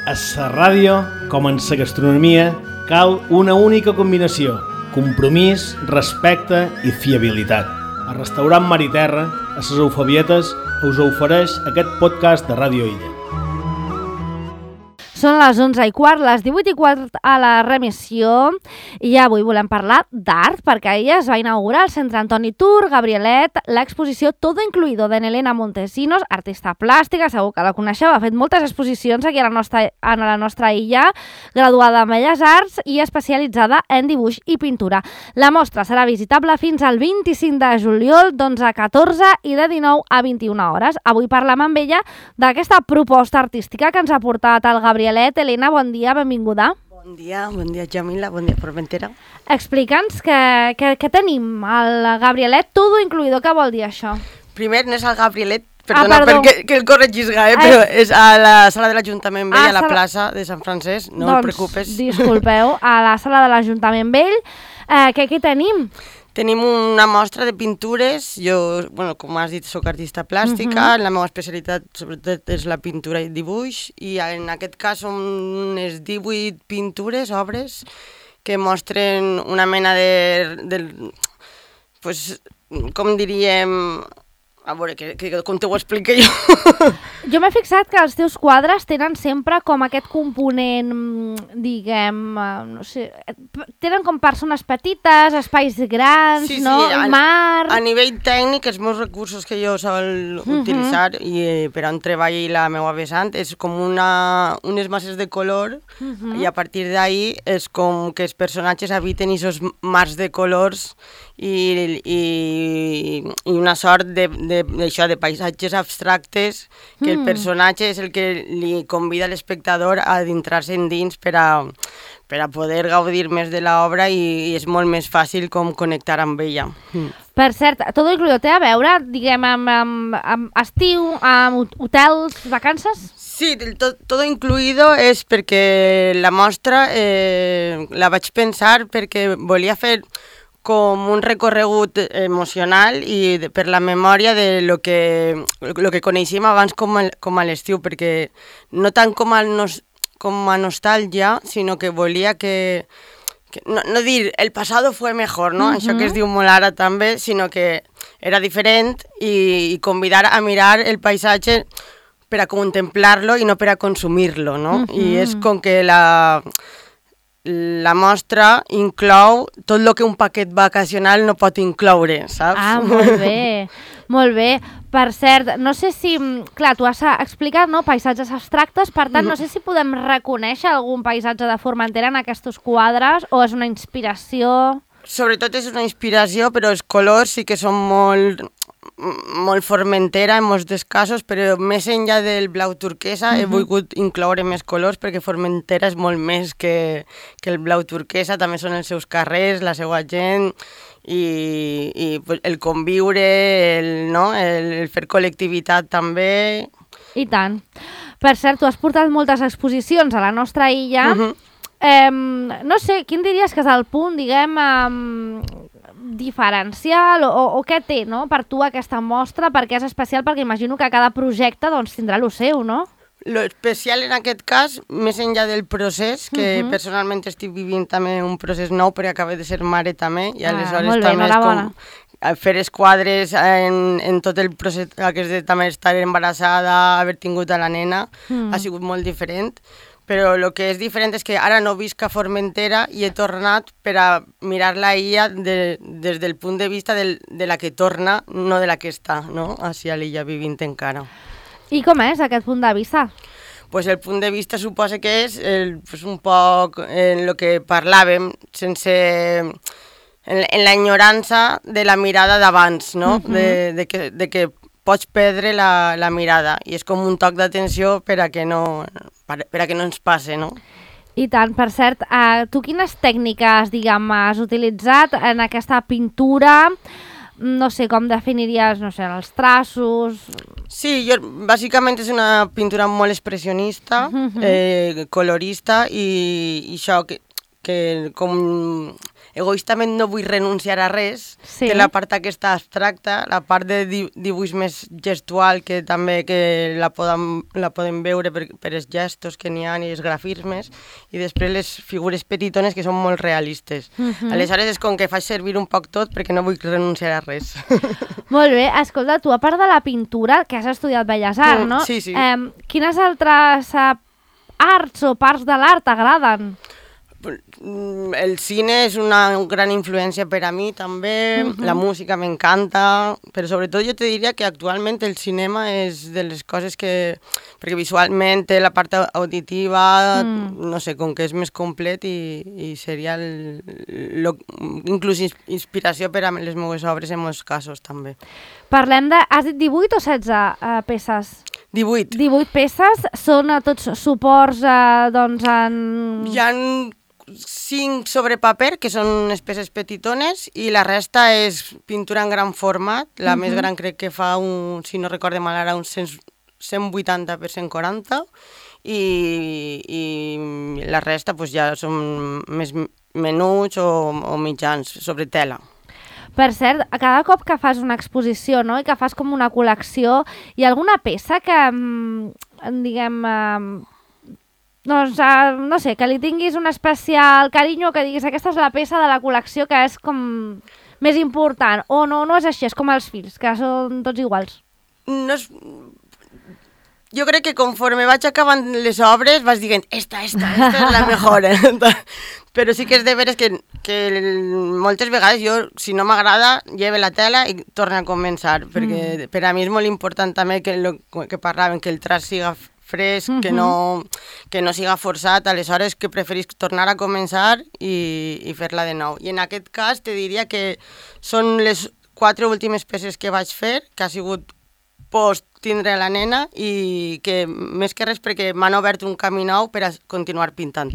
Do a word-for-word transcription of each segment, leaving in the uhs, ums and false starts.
A la ràdio, com en la gastronomia, cal una única combinació: compromís, respecte i fiabilitat. El restaurant Mar i Terra, a les Eufebietes, us ofereix aquest podcast de Ràdio Illa. Són les onze i quart, les divuit i quart a la remissió i avui volem parlar d'art perquè ahir es va inaugurar al Centre Antoni Tur Gabrielet l'exposició Todo Incluido de Elena Montesinos, artista plàstica, segur que la coneixeu, ha fet moltes exposicions aquí a la nostra, a la nostra illa, graduada en Belles Arts i especialitzada en dibuix i pintura. La mostra serà visitable fins al vint-i-cinc de juliol d'onze a catorze i de dinou a vint-i-una hores. Avui parlem amb ella d'aquesta proposta artística que ens ha portat el Gabriel. Elena, bon dia, benvinguda. Bon dia, bon dia Jamila, bon dia Formentera. Explica'ns què, què, què tenim al Gabrielet Todo Incluido, què vol dir això? Primer no és el Gabrielet, perdona, ah, perdó. perquè que el corregisga, eh? però és a la sala de l'Ajuntament Vell, ah, a la sala... plaça de Sant Francesc, no doncs, et preocupes. Disculpeu, a la sala de l'Ajuntament Vell, eh, què aquí tenim? Tenim una mostra de pintures, jo, bueno, com has dit, soc artista plàstica, uh-huh. La meva especialitat sobretot és la pintura i dibuix, i en aquest cas són unes divuit pintures, obres, que mostren una mena de... de pues, com diríem... A veure, que, que, com te ho explico jo? Jo m'he fixat que els teus quadres tenen sempre com aquest component, diguem, no sé, tenen com persones petites, espais grans, sí, sí, no? A, mar... A nivell tècnic, els meus recursos que jo sol uh-huh. utilitzar i eh, per on treballi la meva vessant és com una, unes masses de color uh-huh. i a partir d'ahí és com que els personatges habiten aquests mars de colors i, i, i una sort de, de, d'això, de paisatges abstractes que mm. el personatge és el que li convida a l'espectador a adentrar-se endins per a, per a poder gaudir més de l'obra i, i és molt més fàcil com connectar amb ella. Mm. Per cert, Todo Incluido té a veure, diguem, amb, amb, amb estiu, amb hotels, vacances? Sí, el to, Todo Incluido és perquè la mostra eh, la vaig pensar perquè volia fer com un recorregut emocional i de, per la memòria de lo que, lo que coneixíem abans com a, com a l'estiu, perquè no tant com a, nos, com a nostàlgia, sinó que volia que, que no, no dir el passado fue mejor, no? Uh-huh. Això que es diu molt ara també, sinó que era diferent i, i convidar a mirar el paisatge per a contemplar-lo i no per a consumir-lo, no? Uh-huh. I és com que la... La mostra inclou tot el que un paquet vacacional no pot incloure, saps? Ah, molt bé, molt bé. Per cert, no sé si... Clar, tu has explicat, no?, paisatges abstractes, per tant, no sé si podem reconèixer algun paisatge de Formentera en aquests quadres o és una inspiració... Sobretot és una inspiració, però els colors sí que són molt... molt Formentera en molts casos, però més enllà del blau turquesa uh-huh. he volgut incloure més colors perquè Formentera és molt més que, que el blau turquesa, també són els seus carrers, la seva gent i, i el conviure, el, no? el, el fer col·lectivitat també. I tant. Per cert, tu has portat moltes exposicions a la nostra illa. Uh-huh. eh, no sé, quin diries que és el punt, diguem... Eh, diferencial o, o, o què té, no?, per tu aquesta mostra, perquè és especial, perquè imagino que cada projecte doncs, tindrà lo seu, no? Lo especial en aquest cas, més enllà del procés, que uh-huh. personalment estic vivint també un procés nou perquè acabo de ser mare també, i aleshores ah, bé, també és com fer els quadres en, en tot el procés aquest de també estar embarassada, haver tingut a la nena, uh-huh. ha sigut molt diferent. Però el que és diferent és que ara no visc a Formentera i he tornat per a mirar la illa de, des del punt de vista del, de la que torna, no de la que està, no?, així a l'illa vivint encara. I com és aquest punt de vista? Pues el punt de vista suposa que és el, pues un poc en el que parlàvem, sense... en, en l'enyorança de la mirada d'abans, no?, uh-huh. de, de, que, de que pots perdre la, la mirada i és com un toc d'atenció per a que no, per, per a que no ens passe, no? I tant, per cert, uh, tu quines tècniques, diguem, has utilitzat en aquesta pintura? No sé, com definiries, no sé, els traços... Sí, jo, bàsicament és una pintura molt expressionista, uh-huh. eh, colorista i, i això que, que com egoistament no vull renunciar a res, Sí. que la part aquesta abstracta, la part de di dibuix més gestual, que també que la podem, la podem veure per, per els gestos que n'hi ha i els grafismes, i després les figures petitones que són molt realistes. Mhm. Aleshores és com que faig servir un poc tot perquè no vull renunciar a res. Molt bé, escolta, tu a part de la pintura, que has estudiat Belles Arts, Mm, no? sí, sí. Eh, quines altres eh, arts o parts de l'art t'agraden? El cine és una gran influència per a mi també, uh -huh. La música m'encanta, però sobretot jo te diria que actualment el cinema és de les coses que... perquè visualment té la part auditiva, mm. no sé, com que és més complet i, i seria el, lo, inclús inspiració per a les meves obres en molts casos també. Parlem de... Has dit divuit o setze uh, peces? divuit. divuit peces, són a tots suports uh, doncs en... Hi ha cinc sobre paper, que són unes peces petitones, i la resta és pintura en gran format. La uh -huh. més gran crec que fa, un, si no recorde mal ara, un cent vuitanta per cent quaranta, i, i la resta pues, ja són més menuts o, o mitjans, sobre tela. Per cert, cada cop que fas una exposició, no?, i que fas com una col·lecció, hi ha alguna peça que, diguem... Eh, doncs, uh, no sé, que li tinguis un especial carinyo, que diguis aquesta és la peça de la col·lecció que és com més important, o no, no és així, és com els fills, que són tots iguals. No és... Jo crec que conforme vaig acabant les obres vas dient, esta, esta, esta és la millor. Però sí que és de veres que, que moltes vegades jo, si no m'agrada, lleve la tela i torno a començar, perquè mm. per a mi és molt important també que, lo, que parlàvem, que el traç siga fresc, uh -huh. que, no, que no siga forçat, aleshores que preferís tornar a començar i, i fer-la de nou. I en aquest cas te diria que són les quatre últimes peces que vaig fer, que ha sigut post tindre la nena i que més que res perquè m'han obert un camí nou per a continuar pintant.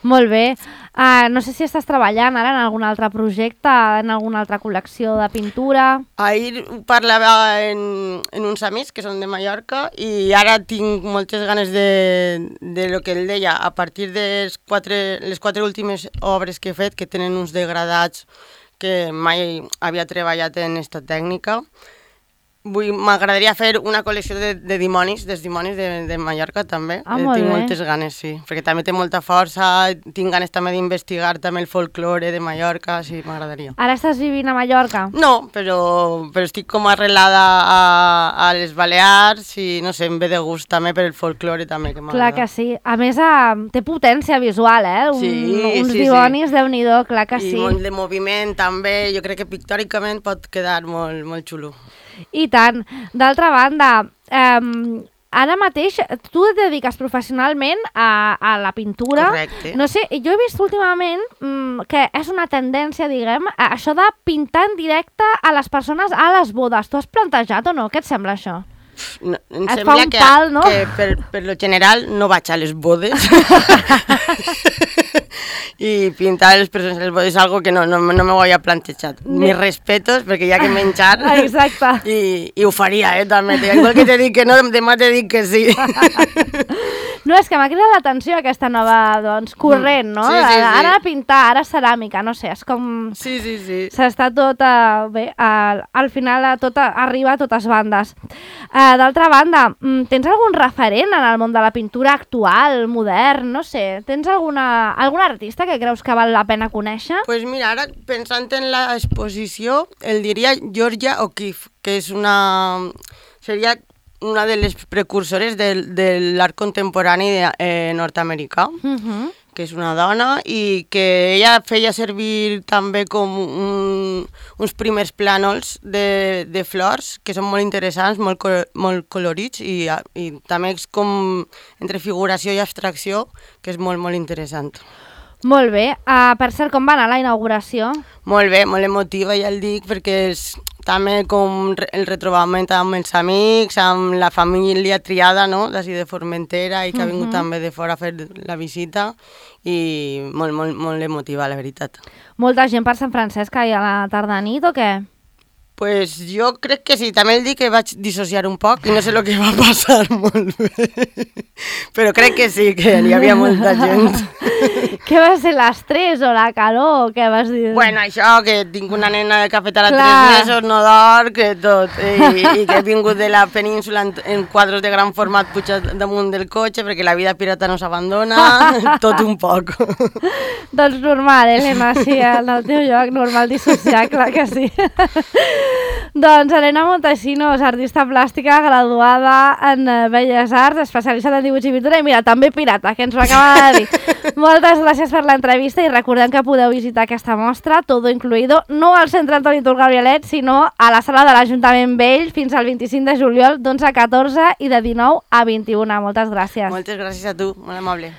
Molt bé. Uh, no sé si estàs treballant ara en algun altre projecte, en alguna altra col·lecció de pintura... Ahir parlava en, en uns amics que són de Mallorca i ara tinc moltes ganes de, de lo que ell deia, a partir de les quatre, les quatre últimes obres que he fet, que tenen uns degradats que mai havia treballat en aquesta tècnica. M'agradaria fer una col·lecció de, de dimonis, dels dimonis de, de Mallorca també. Ah, molt tinc bé. moltes ganes, sí, perquè també té molta força, tinc ganes també d'investigar també el folklore de Mallorca, sí, m'agradaria. Ara estàs vivint a Mallorca? No, però, però estic com arrelada a, a les Balears i no sé, em ve de gust també per el folklore també que m'agrada. Clar que sí. A més, uh, té potència visual, eh? Un, sí, uns sí, dimonis, sí. Déu-n'hi-do, clar que I sí. I molt de moviment també, jo crec que pictòricament pot quedar molt, molt xulo. I tant. D'altra banda, eh, ara mateix tu et dediques professionalment a, a la pintura. Correcte. No sé, jo he vist últimament mm, que és una tendència, diguem, a això de pintar en directe a les persones a les bodes. Tu has plantejat o no? Què et sembla això? No, em et sembla fa un que, pal, no? que per, per lo general no vaig a les bodes i pintar les persones a les bodes és algo que no, no, no me ho havia plantejat. Mis respetos, perquè hi ha que menjar. Exacte. I, i ho faria, eh, també. Igual que te dic que no, demà te dic que sí. No, és que m'ha cridat l'atenció aquesta nova, doncs, corrent, no? Sí, sí, sí. Ara pintar, ara ceràmica, no sé, és com... Sí, sí, sí. S'està tot, a, bé, a, al final a tot, a, arriba a totes bandes. Uh, D'altra banda, tens algun referent en el món de la pintura actual, modern, no sé? Tens alguna, algun artista que creus que val la pena conèixer? Pues mira, ara pensant en l'exposició, el diria Georgia O'Keeffe, que és una... seria una de les precursores de, de l'art contemporani de, eh, nord-americà, uh-huh. que és una dona, i que ella feia servir també com un, uns primers plànols de, de flors, que són molt interessants, molt, molt colorits, i, i també és com entre figuració i abstracció, que és molt, molt interessant. Molt bé. Uh, per cert, com va anar la inauguració? Molt bé, molt emotiva, ja el dic, perquè és també com el retrobament amb els amics, amb la família triada, no?, d'ací de Formentera, i que ha vingut uh-huh. també de fora a fer la visita, i molt, molt, molt emotiva, la veritat. Molta gent per Sant Francesc ahir a la tarda-nit, o què? Pues jo crec que sí, també el dic que vaig dissociar un poc i no sé el que va passar molt bé, però crec que sí, que hi havia molta gent. Què va ser l'estrès o la calor? Què vas dir? Bueno, això, que tinc una nena que ha fet ara Clar. tres mesos, no dorm, que tot. I, i que he vingut de la península en, en quadros de gran format pujat damunt del cotxe, perquè la vida pirata no s'abandona, tot un poc. Doncs normal, Helena, sí, en el teu lloc, normal dissociar, clar que sí. Doncs Helena Montesinos, artista plàstica, graduada en Belles Arts, especialitzada en dibuix i pintura, i mira, també pirata, que ens ho acaba de dir. Moltes gràcies per l'entrevista i recordem que podeu visitar aquesta mostra, Todo Incluido, no al Centre Antoni Tur Gabrielet, sinó a la sala de l'Ajuntament Vell fins al vint-i-cinc de juliol, d'onze a catorze i de dinou a vint-i-una. Moltes gràcies. Moltes gràcies a tu, molt amable.